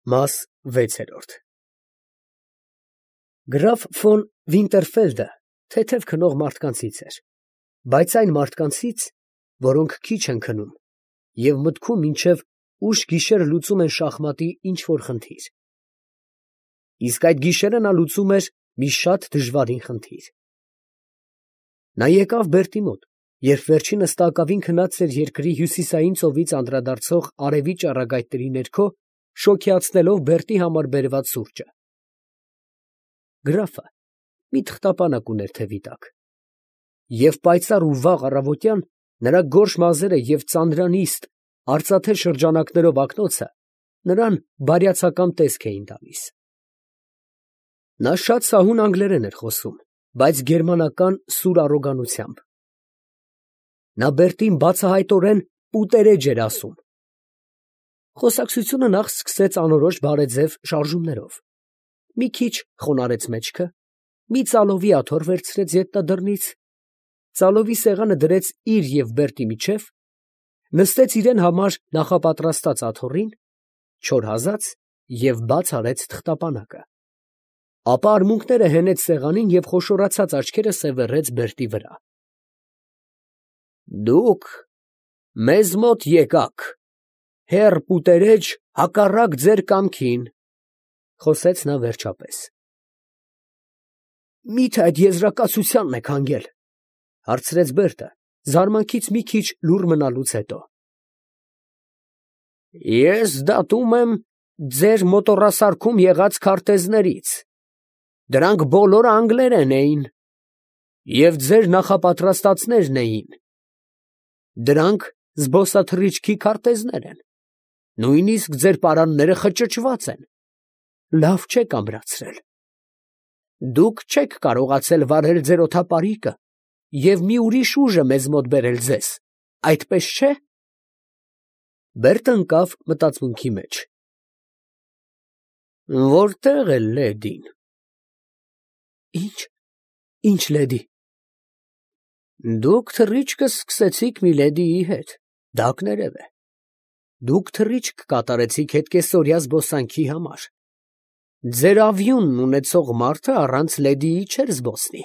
Մաս 6 Գրաֆ ֆոն Վինտերֆելդը թեթև քնող մարդկանցից էր, բայց այն մարդկանցից, որոնք քիչ են քնում և մտքում մինչև ուշ գիշեր լուծում են շախմատի ինչ֊որ խնդիր. իսկ այդ գիշերը նա լուծում էր մի շատ դժվարին խնդիր։ Նա եկավ Բերտի մոտ, երբ վերջինս տակավին քնած էր երկրի հյուսիսային ծովից անդրադարձող արևի ճառագայթների ներքո, շոգեացնելով Բերտի համար բերված սուրճը։ Գրաֆը մի թղթապանակ ուներ թևի տակ, և պայծառ ու վաղ առավոտյան նրա գորշ մազերը և ծանրանիստ, արծաթե շրջանակներով ակնոցը նրան բարյացակամ տեսք էին տալիս։ Նա շատ սահուն անգլերեն էր խոսում, բայց գերմանական սուր առոգանությամբ։ Նա Բերտին բացահայտորեն «պուտերեջ» էր ասում։ Խոսակցությունը նախ սկսեց անորոշ բարեձև շարժումներով, մի քիչ խոնարհեց մեջքը, մի ծալովի աթոռ վերցրեց ետնադռնից, ծալովի սեղանը դրեց իր և Բերտի միջև, նստեց իրան համար նախապատրաստած աթոռին, չոր հազաց և բաց արեց թղթապանակը, ապա արմունկները հենեց սեղանին և խոշորացած աչքերը սևեռեց Բերտի վրա։ «Դուք մեզ մոտ եկաք, հեռ պուտերեջ, հակառակ ձեր կամքին, ֊ խոսեց նա վերջապես։ ֊ Մի՞թե այդ եզրակացությանն եք հանգել, ֊ հարցրեց Բերտը, զարմանքից մի քիչ լուռ մնալուց հետո։ ֊ Ես դատում եմ ձեր մոտոռասարքում եղած քարտեզներից. դրանք բոլորը անգլերեն էին, և ձեր նախապատրաստածներն էին. դրանք զբոսաթռիչքի քարտեզներ են, նույնիսկ ձեր պարանները խճճված են, լավ չեք ամրացրել. դուք չեք կարողացել վարել ձեր օդապարիկը և մի ուրիշ ուժ է մեզ մոտ բերել ձեզ, այդպես չէ՞։ Բերտը ընկավ մտածմունքի մեջ։ Որտե՞ղ է լեդին։ Ի՞նչ լեդի։ Դուք թռիչքը սկսեցիք մի լեդիի հետ, դա կներև է. դուք թռիչք կատարեցիք հետկեսօրյա զբոսանքի համար. ձեր ավիունն ունեցող մարդը առանց լեդիի չէր զբոսնի.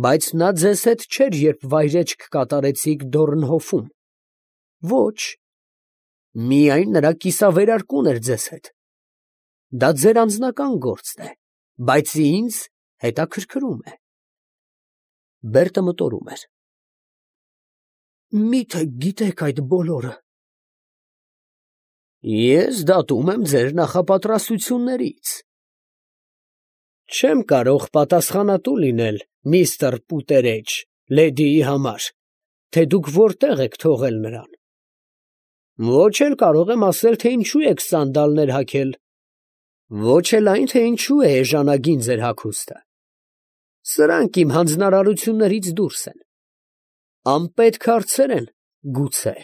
բայց նա ձեզ հետ չէր, երբ վայրէջք կատարեցիք Դորնհոֆում. ոչ, միայն նրա կիսավերարկուն էր ձեզ հետ. դա ձեր անձնական գործն է, բայց ինձ հետաքրքրում է։ Բերտը մտորում էր. Մի՞թե գիտեք այդ բոլորը։ Ես դատում եմ ձեր նախապատրաստություններից։ Չեմ կարող պատասխանատու լինել, միստր Պուտերեջ, լեդիի համար, թե դուք որտեղ եք թողել նրան։ Ոչ էլ կարող եմ ասել, թե ինչու եք սանդալներ հագել, ոչ էլ այն, թե ինչու է էժանագին ձեր հագուստը։ Սրանք իմ հանձնարարություններից դուրս են։ Անպետք հարցեր են, գուցե։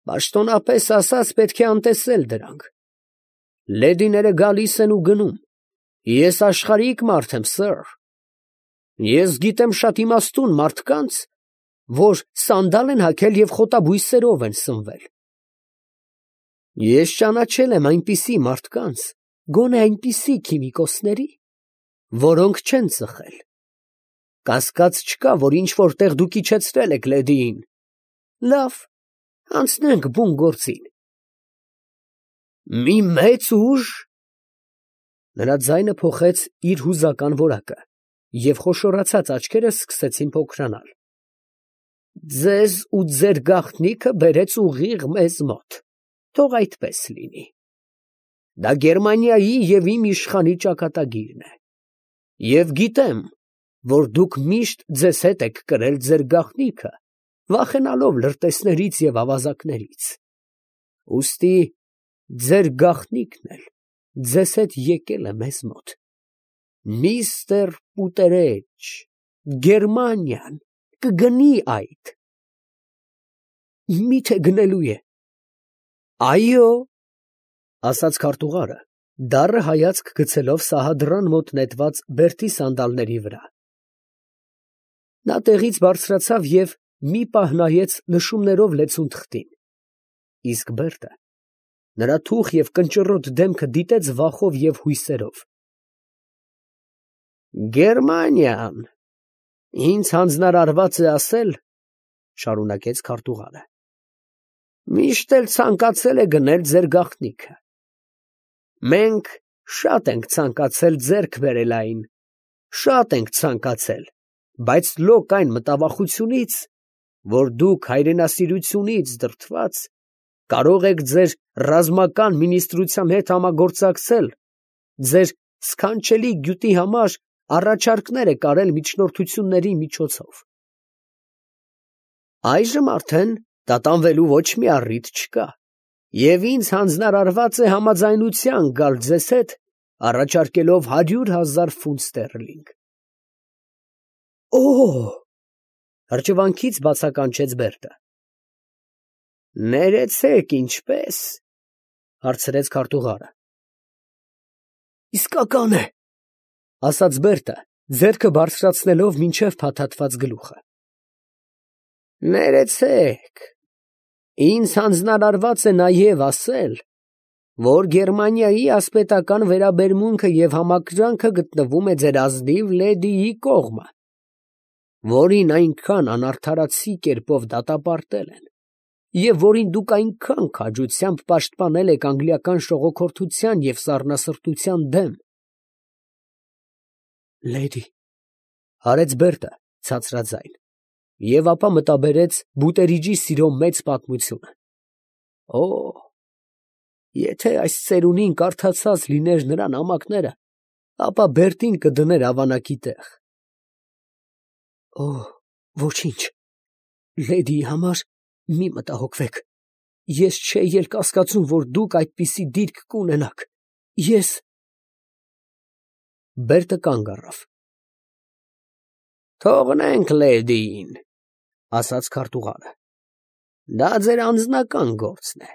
Պաշտոնապես ասած, պետք է անտեսել դրանք։ Լեդիները գալիս են ու գնում։ Ես աշխարհիկ մարդ եմ, սըր։ Ես գիտեմ շատ իմաստուն մարդկանց, որ սանդալ են հագել և խոտաբույսերով են սնվել։ Ես ճանաչել եմ այնպիսի մարդկանց, գոնե այնպիսի քիմիկոսների, որոնք չեն ծխել։ Կասկած չկա, որ ինչ֊որ տեղ դուք իջեցրել եք լեդիին։ Լավ, անցնենք բուն գործին։ Մի մեծ ուժ… Նրա ձայնը փոխեց իր հուզական որակը, և խոշորացած աչքերը սկսեցին փոքրանալ։ Ձեզ ու ձեր գաղտնիքը բերեց ուղիղ մեզ մոտ, թող այդպես լինի։ Դա Գերմանիայի և իմ իշխանի ճակատագիրն է։ Եվ գիտեմ, որ դուք միշտ ձեզ հետ եք կրել ձեր գաղտնիքը, վախենալով լրտեսներից և ավազակներից։ Ուստի ձեր գաղտնիքն էլ ձեզ հետ եկել է մեզ մոտ։ Միստր Պուտերեջ, Գերմանիան կգնի այդ։ Մի՞թե գնելու է։ Այո, ասաց քարտուղարը, դառը հայացք գցելով սահադրան մոտ նետված Բերտի սանդալների վրա։ Նա տեղից բարձրացավ և մի պահ նայեց նշումներով լեցուն թղթին, իսկ Բերտը Նրա թուխ և կնճռոտ դեմքը դիտեց վախով և հույսերով։ Գերմանիան, ինձ հանձնարարված է ասել, շարունակեց քարտուղարը, միշտ էլ ցանկացել է գնել ձեր գաղտնիքը։ Մենք շատ ենք ցանկացել ձեռք բերել այն, շատ ենք ցանկացել, բայց լոկ այն մտավախությունից, որ դուք հայրենասիրությունից դրդված կարող եք ձեր ռազմական մինիստրության հետ համագործակցել, ձեր սքանչելի գյուտի համար առաջարկներ եք արել միջնորդությունների միջոցով։ Այժմ արդեն տատանվելու ոչ մի առիթ չկա, և ինձ հանձնարարված է համաձայնության գալ ձեզ հետ, առաջարկելով 100,000 ֆունտ ստերլինգ։ Օ՜օ, հրճվանքից բացականչեց Բերտը։ Ներեցեք, ինչպե՞ս, հարցրեց քարտուղարը։ Իսկական է, ասաց Բերտը, ձեռքը բարձրացնելով մինչև փաթաթված գլուխը։ Ներեցեք, ինձ հանձնարարված է նաև ասել, որ Գերմանիայի ասպետական վերաբերմունքը և համակրանքը գտնվում է ձեր ազնիվ լեդիի կողմը, որին այնքան անարդարացի կերպով դատապարտել են, և որին դուք այնքան քաջությամբ պաշտպանել եք անգլիական շողոքորթության և սառնասրտության դեմ։ Լեդի, հարեց Բերտը ցածրաձայն, և ապա մտաբերեց բուտերիջի սիրո մեծ պատմությունը։ Օ, եթե այս ծերունին կարդացած լիներ նրա նամակները, ապա Բերտին կդներ ավանակի տեղ։ Օ, ոչինչ, լեդիի համար մի մտահոգվեք, ես չէի էլ կասկածում, որ դուք այդպիսի դիրք կունենաք, ես… Բերտը կանգ առավ։ Թողնենք լեդիին, ասաց քարտուղարը, դա ձեր անձնական գործն է,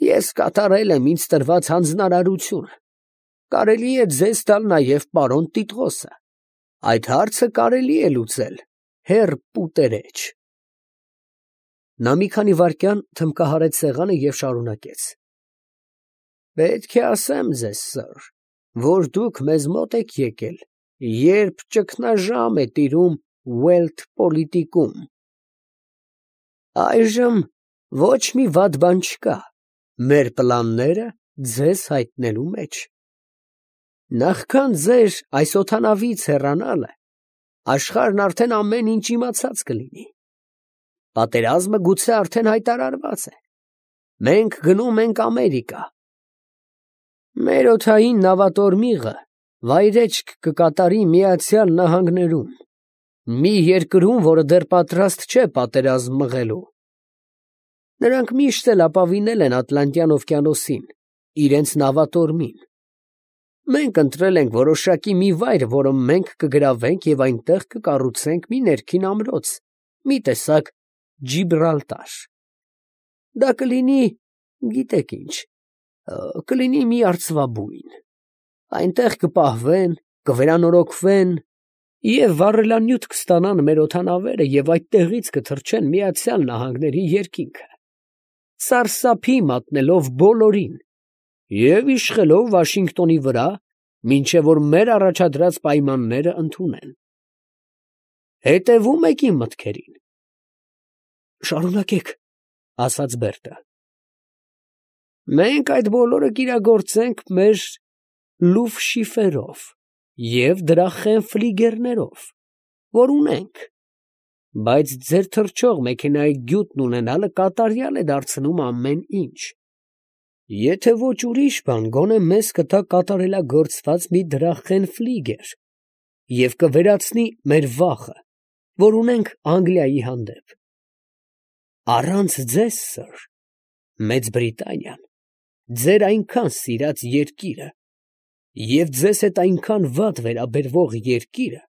ես կատարել եմ ինձ տրված հանձնարարությունը, կարելի է ձեզ տալ նաև պարոն Տիտղոսը, այդ հարցը կարելի է լուծել, հեռ պուտերեջ։ Նա մի քանի վայրկյան թմբկահարեց սեղանը և շարունակեց. Պետք է ասեմ ձեզ, սըր, որ դուք մեզ մոտ եք եկել, երբ ճգնաժամ է տիրում Ուելթ պոլիտիկում։ Այժմ ոչ մի վատ բան չկա, մեր պլանները ձեզ հայտնելու մեջ։ Նախքան ձեր այս օդանավից հեռանալը, աշխարհն արդեն ամեն ինչ իմացած կլինի։ Պատերազմը գուցե արդեն հայտարարված է։ Մենք գնում ենք Ամերիկա։ Մեր օդային նավատորմիղը վայրեջք կկատարի Միացյալ Նահանգներում, մի երկրում, որը դեռ պատրաստ չէ պատերազմ մղելու։ Նրանք միշտ էլ ապավինել են Ատլանտյան օվկիանոսին, իրենց նավատորմին։ Մենք ընտրել ենք որոշակի մի վայր, որը մենք կգրավենք և այնտեղ կկառուցենք մի ներքին ամրոց, մի տեսակ Ջիբրալտար։ Դա կլինի, գիտեք ինչ, կլինի մի արծվաբույն։ Այնտեղ կպահվեն, կվերանորոգվեն և վառելանյութ կստանան մեր օդանավերը և այդտեղից կթռչեն Միացյալ Նահանգների երկինքը, սարսափի մատնելով բոլորին և իշխելով Վաշինգտոնի վրա, մինչև որ մեր առաջադրած պայմանները ընդունեն։ Հետևո՞ւմ եք իմ մտքերին։ Շարունակեք, ասաց Բերտը։ Մենք այդ բոլորը կիրագործենք մեր լուֆշիֆերով և դրա խենֆլիգերներով, որ ունենք, բայց ձեր թռչող մեքենայի գյուտն ունենալը կատարյալ է դարձնում ամեն ինչ։ Եթե ոչ ուրիշ բան, գոնե մեզ կտա կատարելագործված մի դրախենֆլիգեր և կվերացնի մեր վախը, որ ունենք Անգլիայի հանդեպ։ Առանց ձեզ, սըր, Մեծ Բրիտանիան, ձեր այնքան սիրած երկիրը և ձեզ հետ այնքան վատ վերաբերվող երկիրը,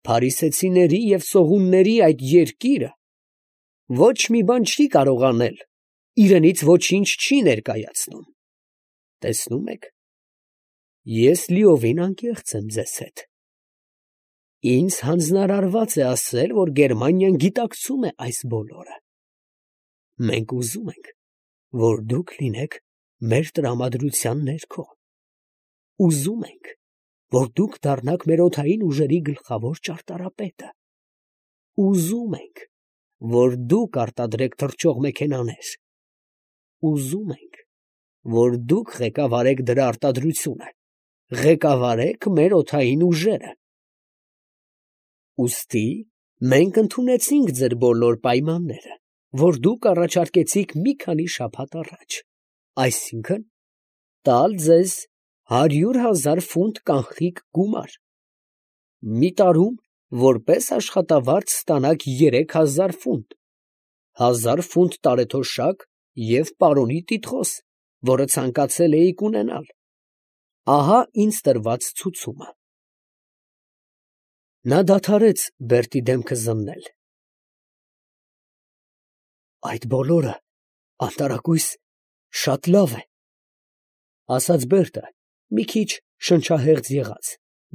փարիսեցիների և սողունների այդ երկիրը, ոչ մի բան չի կարող անել, իրենից ոչինչ չի ներկայացնում։ Տեսնում եք, ես լիովին անկեղծ եմ ձեզ հետ։ Ինձ հանձնարարված է ասել, որ Գերմանիան գիտակցում է այս բոլորը։ Մենք ուզում ենք, որ դուք լինեք մեր տրամադրության ներքո։ Ուզում ենք, որ դուք դառնաք մեր օդային ուժերի գլխավոր ճարտարապետը։ Ուզում ենք, որ դուք արտադրեք թռչող մեքենաներ։ Ուզում ենք, որ դուք ղեկավարեք դրա արտադրությունը, ղեկավարեք մեր օդային ուժերը։ Ուստի մենք ընդունեցինք ձեր բոլոր պայմանները, որ դուք առաջարկեցիք մի քանի շաբաթ առաջ, այսինքն տալ ձեզ 100,000 ֆունտ կանխիկ գումար։ Մի տարում որպես աշխատավարձ ստանաք 3,000 ֆունտ, 1,000 ֆունտ տարեթոշակ և պարոնի տիտղոս, որը ցանկացել էիք ունենալ։ Ահա ինձ տրված ցուցումը։ Նա դադարեց Բերտի դեմքը զննել։ Այդ բոլորը անտարակույս շատ լավ է, ասաց Բերտը, մի քիչ շնչահեղձ եղած,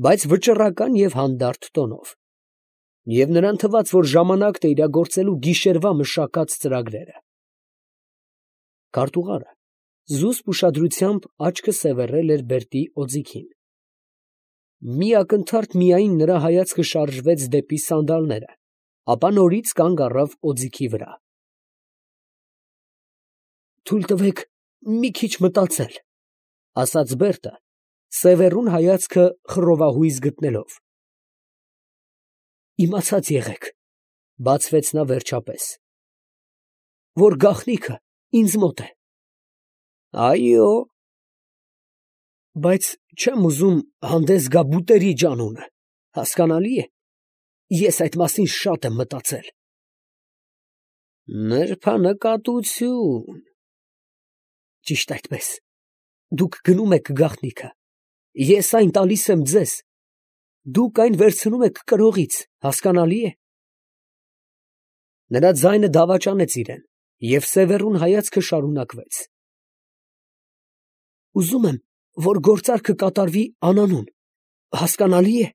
բայց վճռական և հանդարտ տոնով, և նրան թվաց, որ ժամանակն է իրագործելու գիշերվա մշակած ծրագրերը։ Քարտուղարը զուսպ ուշադրությամբ աչքը սևեռել էր Բերտի օձիքին։ Մի ակնթարթ միայն նրա հայացքը շարժվեց դեպի սանդալները, ապա նորից կանգ առավ օձիքի վրա։ Թույլ տվեք մի քիչ մտածել, ասաց Բերտը, սևեռուն հայացքը խռովահույս գտնելով։ Իմացած եղեք, բացվեց նա վերջապես, որ գաղտնիքը ինձ մոտ է։ Այո, բայց չեմ ուզում հանդես գա բուտերիջ անունը, հասկանալի է, ես այդ մասին շատ եմ մտածել։ Նրբանկատություն։ Ճիշտ այդպես, դուք գնում եք գաղտնիքը, ես այն տալիս եմ ձեզ, դուք այն վերցնում եք կրողից, հասկանալի է։ Նրա ձայնը դավաճանեց իրան, և սևեռուն հայացքը շարունակվեց։ Ուզում եմ, որ գործարքը կատարվի անանուն, հասկանալի է։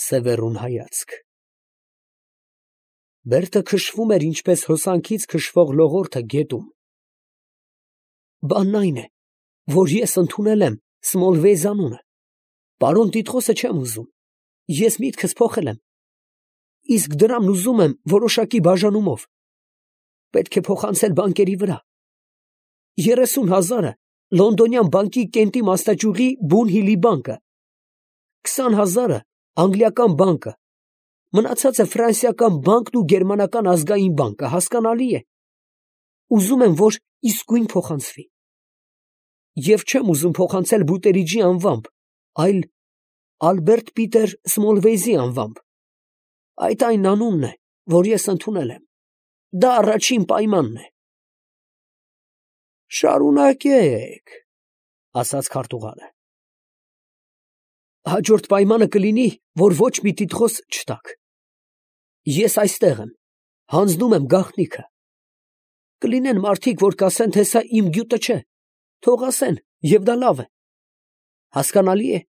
Սևեռուն հայացք։ Բերտը քշվում էր ինչպես հոսանքից քշվող լողորդը գետում։ Բանն այն է, որ ես ընդունել եմ Սմոլվեյ անունը, պարոն Տիտղոսը չեմ ուզում, ես միտքս փոխել եմ, իսկ դրամն ուզում եմ որոշակի բաժանումով, պետք է փոխանցել բանկերի վրա, 30,000-ը Լոնդոնյան բանկի Կենտի մասնաճյուղի Բուն Հիլի բանկը, 20,000-ը անգլիական բանկը, մնացածը ֆրանսիական բանկն ու գերմանական ազգային բանկը, հասկանալի է, ուզում եմ, որ իսկույն փոխանցվի։ Եվ չեմ ուզում փոխանցել Բուտերիջի անվամբ, այլ Ալբերտ Պիտեր Սմոլվեյզի անվամբ։ Այդ այն անունն է, որ ես ընդունել եմ։ Դա առաջին պայմանն է։ Շարունակեք, ասաց քարտուղարը։ Հաջորդ պայմանը կլինի, որ ոչ մի տիտղոս չտաք։ Ես այստեղ եմ, հանձնում եմ գաղտնիքը։ Կլինեն մարդիկ, որ կասեն, թե սա իմ գյուտը չէ, թող ասեն, և դա լավ է։ Հասկանալի է։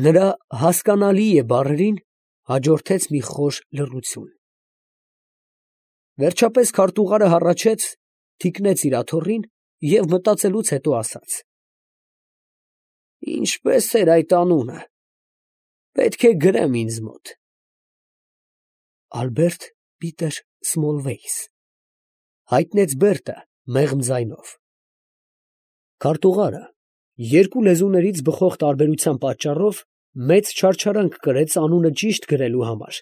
Նրա հասկանալի է բառերին հաջորդեց մի խոր լռություն։ Վերջապես քարտուղարը հառաչեց, թիկնեց իր աթոռին և մտածելուց հետո ասաց. Ինչպես էր այդ անունը, պետք է գրեմ ինձ մոտ։ Ալբերտ Պիտեր Սմոլվեյս, հայտնեց Բերտը մեղմ ձայնով։ Քարտուղարը երկու լեզուներից բխող տարբերության պատճառով մեծ չարչարանք կրեց անունը ճիշտ գրելու համար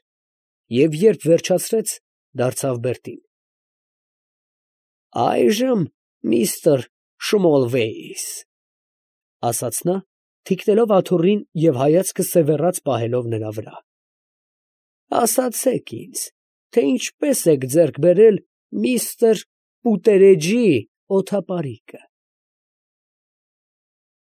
և երբ վերջացրեց, դարձավ Բերտին. Այժմ միստր Շմոլվեյս, ասաց նա, թիկնելով աթոռին և հայացքը սևեռած պահելով նրա վրա, ասացեք ինձ, թե ինչպես եք ձեռք բերել միստր Պուտերեջի օդապարիկը։